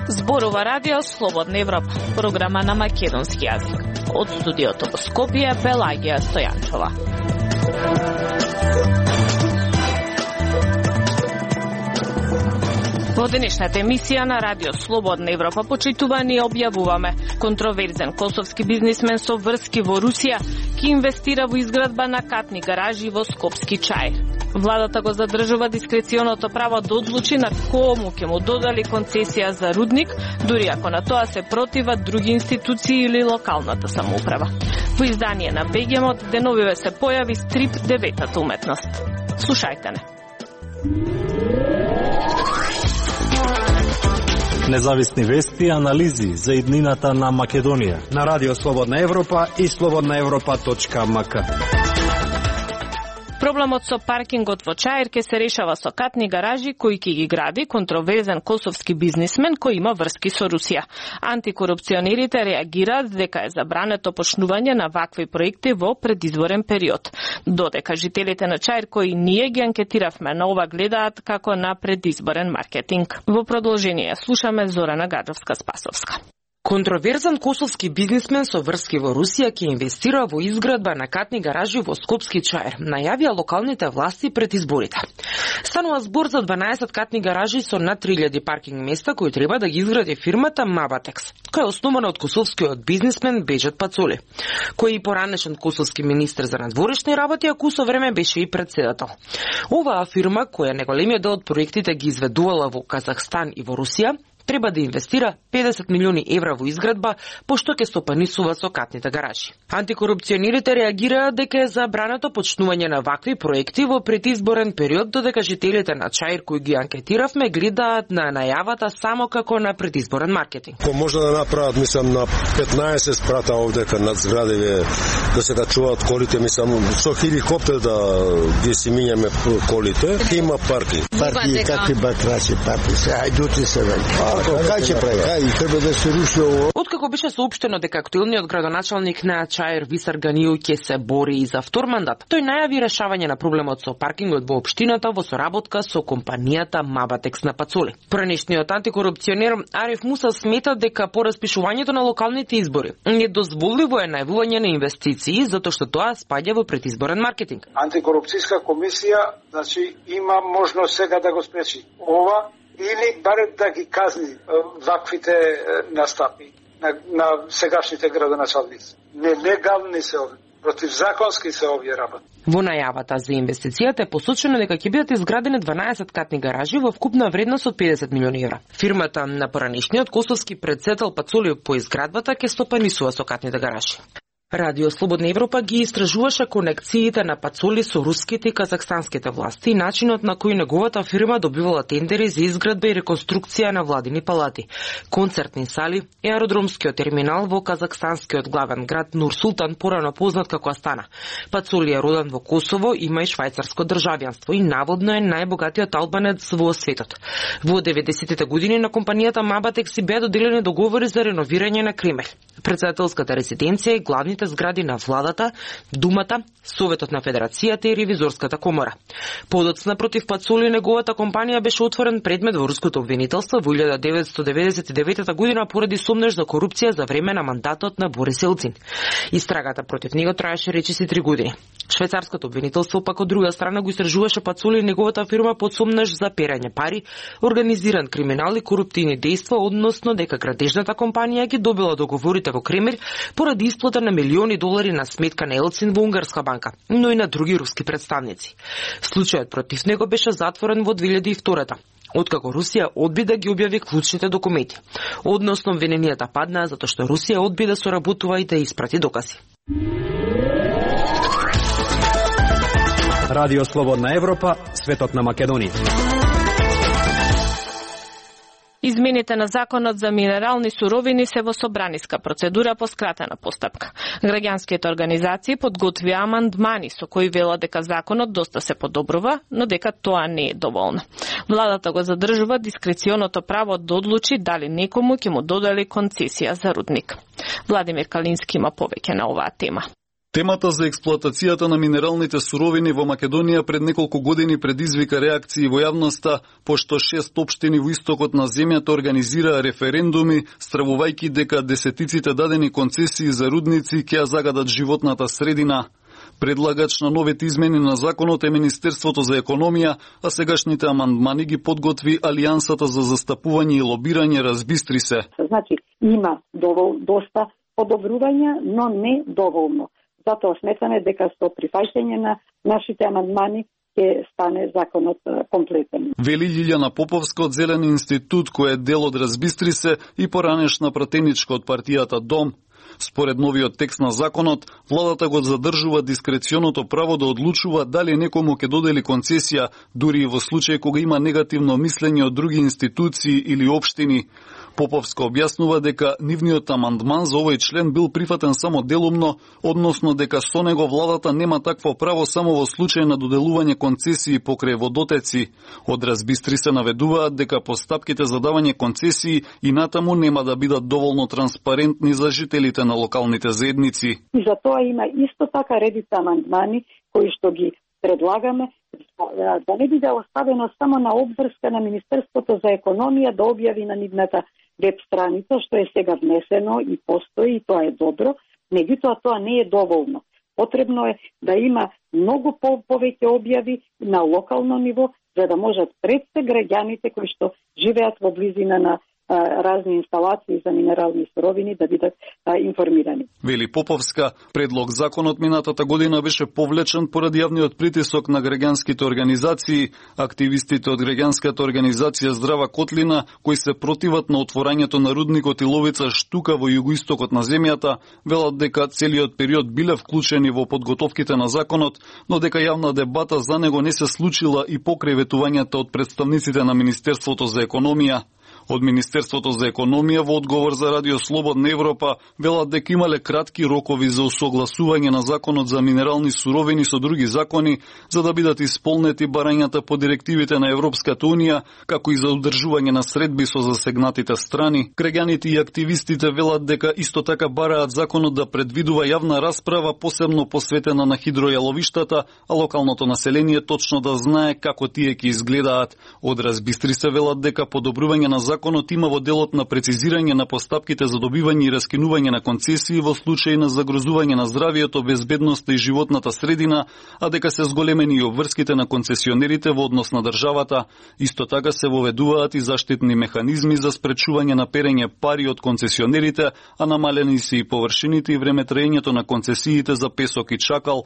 Зборува радио Слободна Европа, програма на македонски јазик. Од студиото во Скопје, Пелагија Стојанчова. Во денешната емисија на Радио Слободна Европа почитувани објавуваме контроверзен косовски бизнисмен со врски во Русија ки инвестира во изградба на катни гаражи во Скопски Чаир. Владата го задржува дискреционото право да одлучи на кому ќе му додали концесија за рудник, дури ако на тоа се противат други институции или локалната самоуправа. Во издание на Бегемот деновиве се појави стрип Деветата уметност. Слушајте не. Независни вести и анализи за иднината на Македонија на Радио Слободна Европа и slobodnaevropa.mk. Проблемот со паркингот во Чаир ќе се решава со катни гаражи кои ќе ги гради контроверзен косовски бизнисмен кој има врски со Русија. Антикорупционерите реагираат дека е забрането почнување на вакви проекти во предизборен период. Додека жителите на Чаир кои ние ги анкетиравме на ова гледаат како на предизборен маркетинг. Во продолжение слушаме Зорана Гаджовска-Спасовска. Контроверзен косовски бизнисмен со врски во Русија ќе инвестира во изградба на катни гаражи во Скопски Чаир, најавија локалните власти пред изборите. Станува збор за 12 катни гаражи со над 3000 паркинг места кои треба да ги изгради фирмата Мабатекс, која е основана од косовскиот бизнисмен Беџет Пацули, кој е поранешен косовски министер за надворешни работи, а кусо време беше и председател. Оваа фирма, која неголемиот дел од проектите ги изведувала во Казахстан и во Русија, треба да инвестира 50 милиони евра во изградба, пошто ќе стопанисува со катните гаражи. Антикорупционерите реагираат дека е забрането почнување на вакви проекти во предизборен период, додека жителите на Чаир кои ги анкетиравме гледаат на најавата само како на предизборен маркетинг. Може да направат, мислам, на 15 спрата овдека над зградиве да се да чуваат колите, мислам, со хеликоптер да ги си минјаме колите. Има парки. Парки, какви батраци парки, се ајдути се вели. Треба да се руши ово. Откако беше соопштено дека актуелниот градоначалник на Чаир Висар Ганију ќе се бори и за втор мандат, тој најави решавање на проблемот со паркингот во општината во соработка со компанијата Мабатекс на Пацули. Поранешниот антикорупционер Ариф Муса смета дека по распишувањето на локалните избори недозволиво е најавување на инвестиции затоа што тоа спаѓа во предизборен маркетинг. Антикорупцијска комисија, значи, има можност сега да го спречи ова или барем да ги казни ваквите настапи на сегашните градоначалници. Нелегални се овие, противзаконски се овие работи. Во најавата за инвестицијата е посочено дека ќе бидат изградени 12 катни гаражи во вкупна вредност од 50 милиони евра. Фирмата на поранешниот косовски председател Пацули по изградбата ќе стопанисува со катните гаражи. Радио Слободна Европа ги истражуваше конекциите на Пацули со руските и казахстанските власти и начинот на кој неговата фирма добивала тендери за изградба и реконструкција на владини палати, концертни сали и аеродромскиот терминал во казахстанскиот главен град Нур Султан, порано познат како Астана. Пацули е роден во Косово, има и швајцарско државјанство и наводно е најбогатиот албанец во светот. Во 90-тите години на компанијата Мабатекс беа доделени договори за реновирање на Кремљ, председателската резиденција и главните згради на владата, Думата, Советот на Федерацијата и Ревизорската комора. Подоцна против Пацули неговата компанија беше отворен предмет во руското обвинителство во 1999 година поради сомнеж за корупција за време на мандатот на Борис Елцин. Истрагата против него траеше речиси 3 години. Швајцарското обвинителство пак од друга страна го истражуваше Пацули и неговата фирма под сомнеж за перање пари, организиран криминал и коруптивни дејства, односно дека градежната компанија ги добила договорите во Кремљ поради исплата на милиони долари на сметка на Елцин во унгарска банка, но и на други руски представници. Случајот против него беше затворен во 2002-та, откако Русија одби да ги објави клучните документи. Односно, обвиненијата паднаа затоа што Русија одби да соработува и да испрати докази. Радио Слободна Европа, светот на Македонија. Измените на законот за минерални суровини се во собраниска процедура по скратена постапка. Граѓанските организации подготвија амандмани со кои велат дека законот доста се подобрува, но дека тоа не е доволно. Владата го задржува дискреционото право да одлучи дали некому ќе му додели концесија за рудник. Владимир Калински има повеќе на оваа тема. Темата за експлоатацијата на минералните суровини во Македонија пред неколку години предизвика реакции во јавноста, пошто 6 општини во истокот на земјата организираа референдуми, стравувајќи дека десетиците дадени концесии за рудници ќе ја загадат животната средина. Предлагач на новите измени на законот е Министерството за економија, а сегашните амандмани ги подготви Алијансата за застапување и лобирање Разбистри се. Значи, има доста подобрувања, но не доволно. Затоа сметаме дека со прифаќање на нашите амандмани ќе стане законот комплетен. Вели Лилјана Поповска од Зелен институт, кој е дел од Разбистри се и поранешна пратеничка од партијата Дом. Според новиот текст на законот, владата го задржува дискреционото право да одлучува дали некому ќе додели концесија, дури и во случај кога има негативно мислење од други институции или општини. Поповска објаснува дека нивниот амандман за овој член бил прифатен само делумно, односно дека со него владата нема такво право само во случај на доделување концесии покрај водотеци. Од Разбистри се наведуваат дека постапките за давање концесии и натаму нема да бидат доволно транспарентни за жителите на локалните заедници. И за тоа има исто така редица амандмани кои што ги предлагаме да не биде оставено само на обврска на Министерството за економија да објави на нивната веб страница, што е сега внесено и постои, и тоа е добро, меѓутоа тоа не е доволно. Потребно е да има многу повеќе објави на локално ниво, за да можат пред се граѓаните кои што живеат во близина на разни инсталации за минерални суровини да бидат информирани. Вели Поповска, предлог законот минатата година беше повлечен поради јавниот притисок на граѓанските организации. Активистите од граѓанската организација Здрава Котлина, кои се противат на отворањето на рудникот Иловица Штука во југоистокот на земјата, велат дека целиот период биле вклучени во подготовките на законот, но дека јавна дебата за него не се случила и покрај ветувањата од представниците на Министерството за економија. Од Министерството за економија во одговор за Радио Слободна Европа велат дека имале кратки рокови за усогласување на законот за минерални суровини со други закони, за да бидат исполнети барањата по директивите на Европската унија, како и за одржување на средби со засегнатите страни. Граѓаните и активистите велат дека исто така бараат законот да предвидува јавна расправа, посебно посветена на хидројаловиштата, а локалното население точно да знае како тие ќе изгледаат. Од Разбистри се велат дека подобрување на законот има во делот на прецизирање на постапките за добивање и раскинување на концесии во случај на загрозување на здравието, безбедноста и животната средина, а дека се зголемени и обврските на концесионерите во однос на државата. Исто така се воведуваат и заштитни механизми за спречување на перење пари од концесионерите, а намалени се и површините и времетраењето на концесиите за песок и чакал.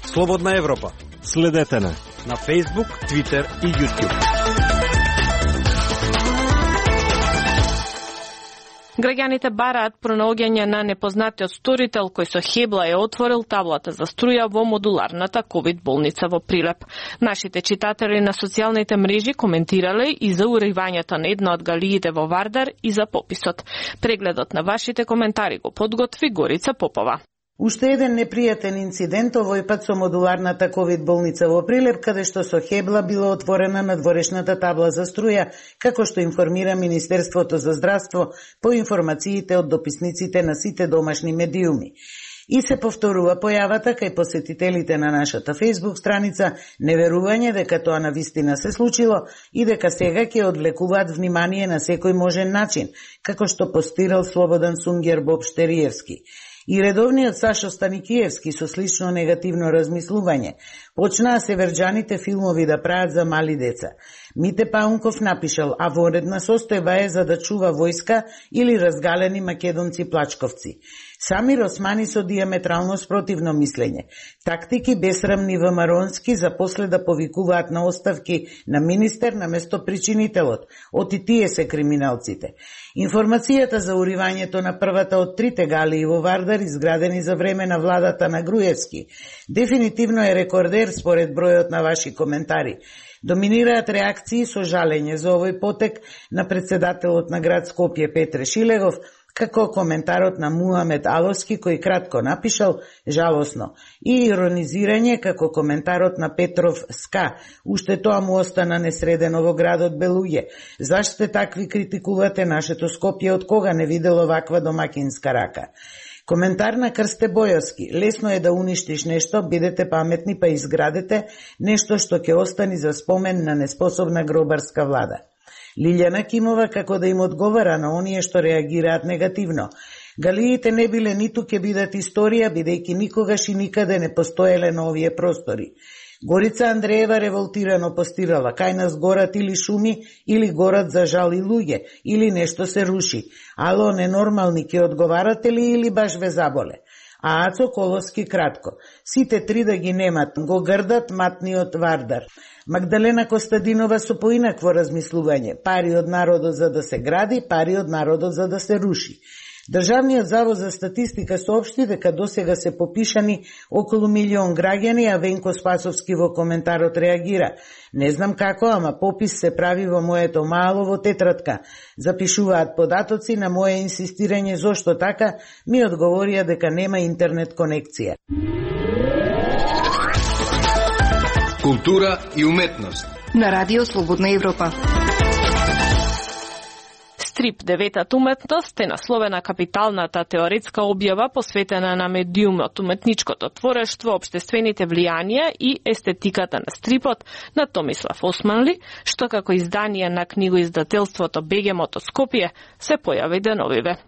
Слободна Европа. Следете на Facebook, Twitter и YouTube. Граѓаните бараат пронаоѓање на непознатиот сторител кој со хебла е отворил таблата за струја во модуларната ковид болница во Прилеп. Нашите читатели на социјалните мрежи коментирале и за уривањето на една од галиите во Вардар и за пописот. Прегледот на вашите коментари го подготви Горица Попова. Уште еден непријатен инцидент, овој пат со модуларната ковид болница во Прилеп, каде што со хебла била отворена надворешната табла за струја, како што информира Министерството за здравство по информациите од дописниците на сите домашни медиуми. И се повторува појавата кај посетителите на нашата Facebook страница, неверување дека тоа навистина се случило и дека сега ќе одвлекуваат внимание на секој можен начин, како што постирал Слободан Сунгер Боб Штериевски. И редовниот Сашо Станикиевски со слично негативно размислување. Почнаа северџаните филмови да прават за мали деца. Мите Паунков напишал, а во редна состојба е за да чува војска или разгалени македонци плачковци. Самир Османи со диаметрално спротивно мислење. Тактики бесрамни ВМРО-нски за после да повикуваат на оставки на министер наместо причинителот. Оти тие се криминалците. Информацијата за уривањето на првата од трите галии во Вардар изградени за време на владата на Груевски дефинитивно е рекордер според бројот на ваши коментари. Доминираат реакции со жалење за овој потек на председателот на град Скопје Петре Шилегов, како коментарот на Муамед Аловски кој кратко напишал жалосно и иронизирање како коментарот на Петров Ска, уште тоа му остана несредено во градот Белуѓе. Зашто сте такви критикувате нашето Скопје, од кога не видело ваква домакинска рака? Коментар на Крсте Бојовски. Лесно е да уништиш нешто, бидете паметни па изградете нешто што ќе остани за спомен на неспособна гробарска влада. Лилјана Кимова како да им одговара на оние што реагираат негативно. Галиите не биле ниту ќе бидат историја, бидејќи никогаш и никаде не постоеле на овие простори. Горица Андреева револтирано постирала, кај нас горат или шуми, или горат за жал и луѓе, или нешто се руши. Ало, ненормални, ќе одговарате ли или баш ве заболе? А Ацо Колоски кратко. Сите три да ги немат, го грдат матниот Вардар. Магдалена Костадинова со поинакво размислување. Пари од народот за да се гради, пари од народот за да се руши. Државниот завод за статистика соопшти дека досега се попишани околу 1 милион граѓани, а Венко Спасовски во коментарот реагира. Не знам како, ама попис се прави во моето мало во тетратка. Запишуваат податоци на мое инсистирање зошто така, ми одговорија дека нема интернет конекција. Култура и уметност на Радио Слободна Европа. Стрип деветата уметност е насловена капиталната теоретска објава посветена на медиумот, уметничкото творештво, обштествените влијанија и естетиката на стрипот на Томислав Османли, што како издание на книгоиздателството Бегемот од Скопје се појави деновиве.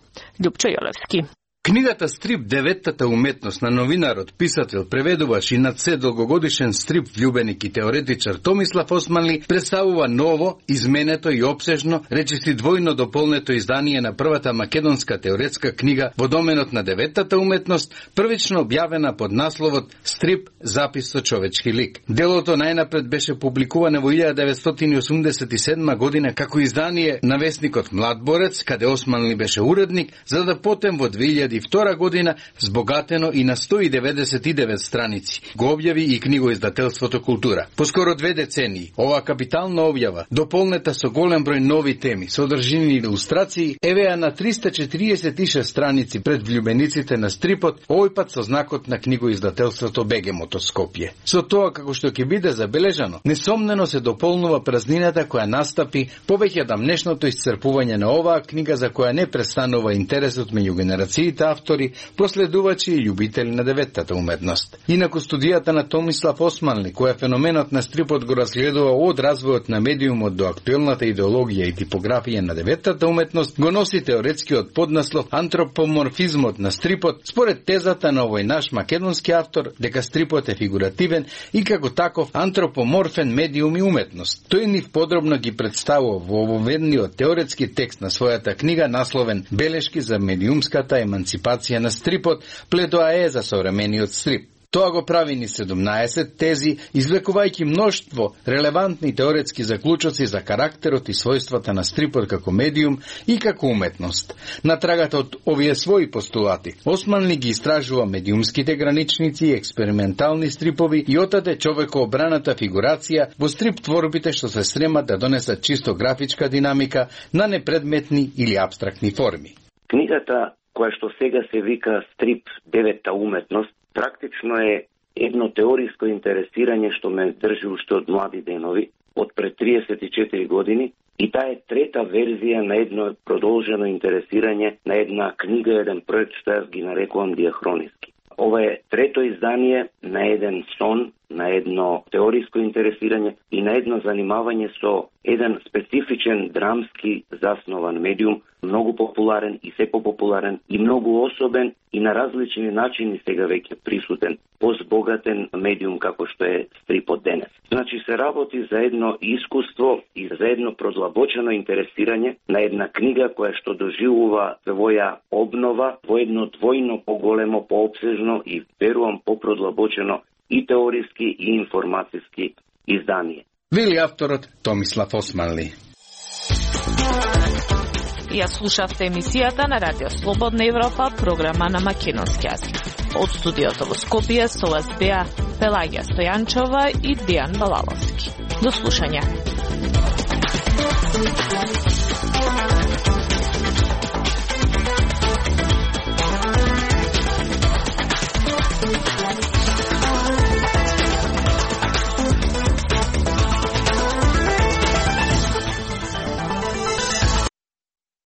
Љупчо Јолевски. Книгата Стрип деветата уметност на новинарот, писател, преведуваш и над се долгогодишен стрип влюбеник и теоретичар Томислав Османли представува ново, изменето и обсежно, речиси двојно дополнето издание на првата македонска теоретска книга во доменот на деветата уметност, првично објавена под насловот Стрип запис со човечки лик. Делото најнапред беше публикувано во 1987 година како издание на весникот Млад борец, каде Османли беше уредник, за да потем во 2002 година збогатено и на 199 страници го објави и книгоиздателството Култура. Поскоро 2 децении, оваа капитална објава, дополнета со голем број нови теми, содржини и илустрации, евеа на 346 страници пред влюбениците на стрипот, овој пат со знакот на книгоиздателството Бегемот од Скопје. Со тоа, како што ќе биде забележано, несомнено се дополнува празнината која настапи повеќе дамнешното исцрпување на оваа книга за која не престанува интересот меѓу генерациите автори, проследувачи и љубители на деветата уметност. Инаку студијата на Томислав Османли, која феноменот на стрипот го разгледува од развојот на медиумот до актуелната идеологија и типографија на деветата уметност, го носи теоретскиот поднаслов антропоморфизмот на стрипот, според тезата на овој наш македонски автор дека стрипот е фигуративен и како таков антропоморфен медиум и уметност. Тој нив подробно ги представува во ововедниот теоретски текст на својата книга насловен Белешки за медиумската емансипација на стрипот, пледоае за современиот стрип. Тоа го прави ни 17 тези, извлекувајќи мноштво релевантни теоретски заклучоци за карактерот и својствата на стрипот како медиум и како уметност. На трагата од овие своји постулати, Османли ги истражува медиумските граничници и експериментални стрипови и отаде човекообраната фигурација во стрип творбите што се стремат да донесат чисто графичка динамика на непредметни или абстрактни форми. Книгата која што сега се вика Стрип девета уметност, практично е едно теориско интересирање што ме држи уште од млади денови, од пред 34 години, и таа е трета верзија на едно продолжено интересирање на една книга, еден проект што јас ги нарекувам диахрониски. Ова е трето издание на еден сон, на едно теориско интересирање и на едно занимавање со еден специфичен драмски заснован медиум, многу популарен и се популарен и многу особен и на различни начини сега веќе присутен, позбогатен медиум како што е стрипот денес. Значи се работи за едно искуство и за едно продлабочено интересирање на една книга која што доживува своја обнова во едно двојно поголемо, пообсежно и верувам попродлабочено и теориски и информациски издание. Вели авторот Томислав Османли. Ја слушавте емисијата на Радио Слободна Европа, програма на македонски јазик. Од студиото во Скопје со вас беа Пелагија Стојанчова и Дијан Балаловски. До слушање.